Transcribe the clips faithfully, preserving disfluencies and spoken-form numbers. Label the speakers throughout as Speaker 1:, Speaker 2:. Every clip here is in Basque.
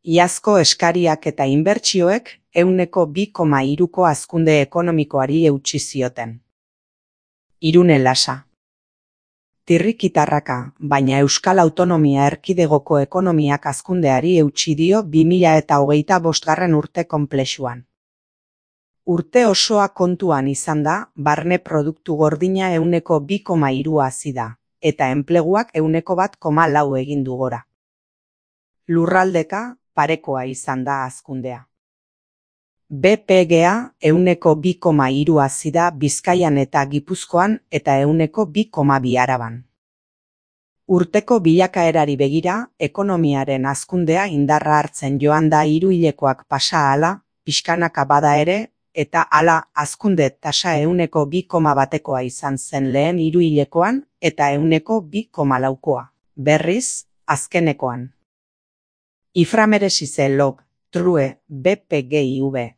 Speaker 1: Iazko eskariak eta inbertsioek ehuneko bi koma hiruko hazkunde ekonomikoari eutsi zioten. Irune Lasa. Tirrikitarraka, baina Euskal Autonomia Erkidegoko ekonomiak hazkundeari eutsi dio bi mila eta hogeita bostgarren urte konplexuan. Urte osoa kontuan izan da, barne produktu gordina ehuneko bi koma hiru hazi da, eta enpleguak ehuneko bat koma lau egin du gora. Lurraldeka, parekoa izan da hazkundea. B P G-a ehuneko bi koma hiru hazi da Bizkaian eta Gipuzkoan eta ehuneko bi koma bi Araban. Urteko bilakaerari begira, ekonomiaren hazkundea indarra hartzen joan da hiruhilekoak pasa ahala, pixkanaka bada ere, eta hala hazkunde tasa ehuneko bi koma batekoa izan zen lehen hiruhilekoan eta ehuneko bi koma laukoa, berriz, azkenekoan. Iframeresize log, true, B P G I V.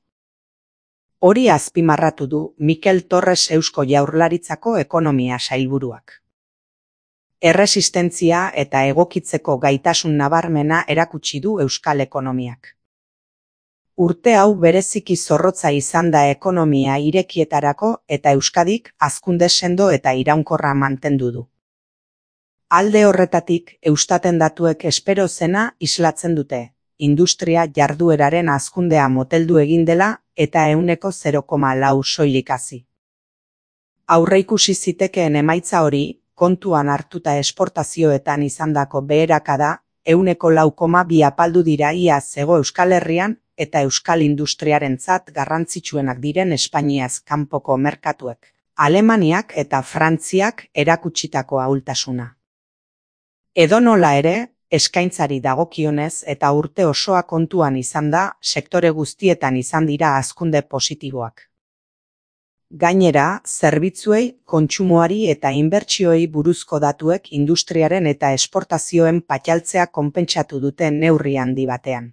Speaker 1: Hori azpimarratu du Mikel Torres Eusko Jaurlaritzako ekonomia sailburuak. Erresistentzia eta egokitzeko gaitasun nabarmena erakutsi du euskal ekonomiak. Urte hau bereziki zorrotza izan da ekonomia irekietarako eta Euskadik hazkunde sendo eta iraunkorra mantendu du. Alde horretatik, Eustaten datuek espero zena islatzen dute, industria jardueraren hazkundea moteldu egin dela eta ehuneko zero koma lau soilik hazi. Aurreikusi zitekeen emaitza hori, kontuan hartuta esportazioetan izandako beherakada, ehuneko lau koma bi apaldu dira iaz hego Euskal Herrian eta euskal industriarentzat garrantzitsuenak diren Espainiaz kanpoko merkatuek, Alemaniak eta Frantziak erakutsitako ahultasuna. Edonola ere, eskaintzari dagokionez eta urte osoa kontuan izan da, sektore guztietan izan dira hazkunde positiboak. Gainera, zerbitzuei, kontsumoari eta inbertsioei buruzko datuek industriaren eta esportazioen patxaltzea konpentsatu dute neurri handi batean.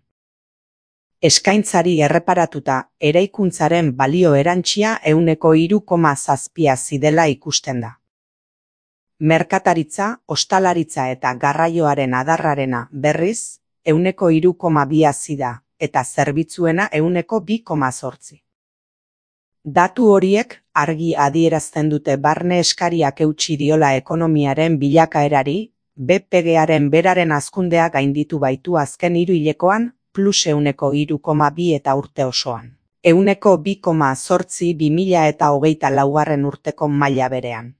Speaker 1: Eskaintzari erreparatuta, eraikuntzaren balio erantsia ehuneko hiru koma zazpi hazi dela ikusten da. Merkataritza, ostalaritza eta garraioaren adarrarena berriz, ehuneko hiru koma bi hazi da, eta zerbitzuena ehuneko bi koma zortzi. Datu horiek argi adierazten dute barne eskariak eutsi diola ekonomiaren bilakaerari, B P G-aren beraren hazkundea gainditu baitu azken hiruhilekoan, plus ehuneko hiru koma bi eta urte osoan. Ehuneko bi koma zortzi bi mila eta hogeita laugarren urteko maila berean.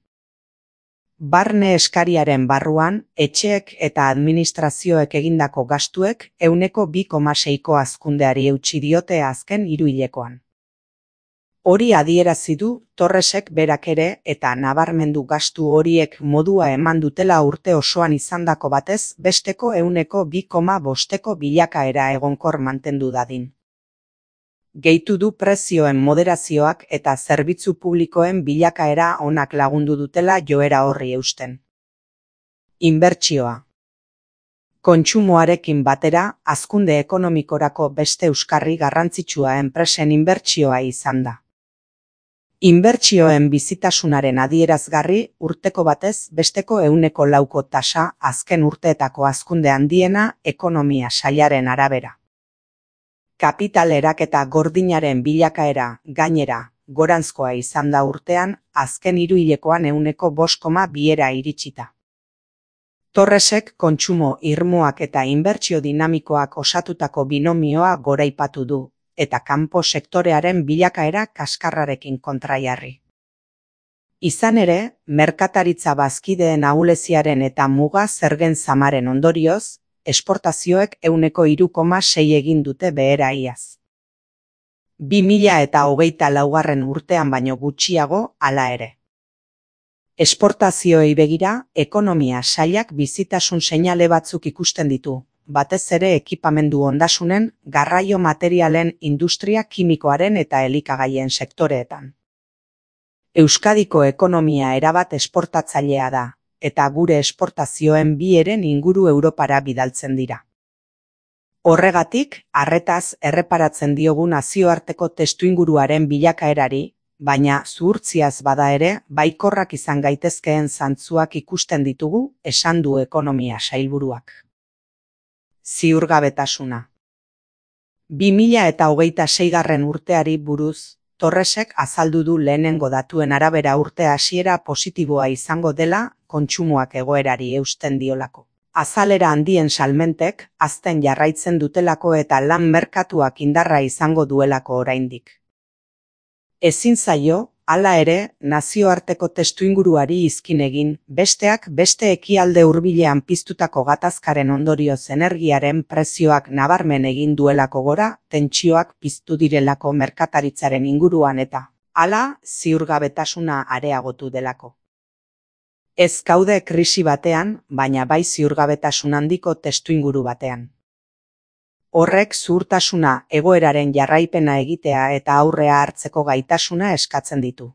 Speaker 1: Barne eskariaren barruan, etxeek eta administrazioek egindako gastuek ehuneko bi koma seiko hazkundeari eutsi diote azken hiruhilekoan. Hori adierazi du Torresek berak ere eta nabarmendu gastu horiek modua eman dutela urte osoan izandako batez besteko ehuneko bi koma bosteko bilakaera egonkor mantendu dadin. Gehitu du prezioen moderazioak eta zerbitzu publikoen bilakaera onak lagundu dutela joera horri eusten. Inbertsioa. Kontsumoarekin batera, hazkunde ekonomikorako beste euskarri garrantzitsua enpresen inbertsioa izan da. Inbertsioen bizitasunaren adierazgarri urteko batez besteko ehuneko lauko tasa azken urteetako hazkunde handiena ekonomia sailaren arabera. Kapital eraketa gordinaren bilakaera, gainera, goranzkoa izan da urtean, azken hiruhilekoan ehuneko bost koma biera iritsita. Torresek kontsumo irmoak eta inbertsio dinamikoak osatutako binomioa goraipatu du, eta kanpo sektorearen bilakaera kaskarrarekin kontraiarri. Izan ere, merkataritza bazkideen ahuleziaren eta muga zergen zamaren ondorioz, esportazioek ehuneko hiru koma sei egin dute behera iaz. Bi mila eta hogeita laugarren urtean baino gutxiago hala ere. Esportazioei begira, ekonomia sailak bizitasun seinale batzuk ikusten ditu, batez ere ekipamendu ondasunen, garraio materialen, industria kimikoaren eta elikagaien sektoreetan. Euskadiko ekonomia erabat esportatzailea da, eta gure esportazioen bi heren inguru Europara bidaltzen dira. Horregatik, arretaz erreparatzen diogu nazioarteko testuinguruaren bilakaerari, baina zuhurtziaz bada ere, baikorrak izan gaitezkeen zantzuak ikusten ditugu, esan du ekonomia sailburuak. Ziurgabetasuna. bi mila eta hogeita seigarren urteari buruz, Torresek azaldu du lehenengo datuen arabera urte hasiera positiboa izango dela kontsumoak egoerari eusten diolako. Azalera handien salmentek hazten jarraitzen dutelako eta lan merkatuak indarra izango duelako oraindik. Ezin zaio, hala ere, nazioarteko testuinguruari izkin egin, besteak beste ekialde hurbilean piztutako gatazkaren ondorioz energiaren prezioak nabarmen egin duelako gora, tentsioak piztu direlako merkataritzaren inguruan eta, hala, ziurgabetasuna areagotu delako. Ez gaude krisi batean, baina bai ziurgabetasun handiko testuinguru batean. Horrek zuhurtasuna, egoeraren jarraipena egitea eta aurrea hartzeko gaitasuna eskatzen ditu.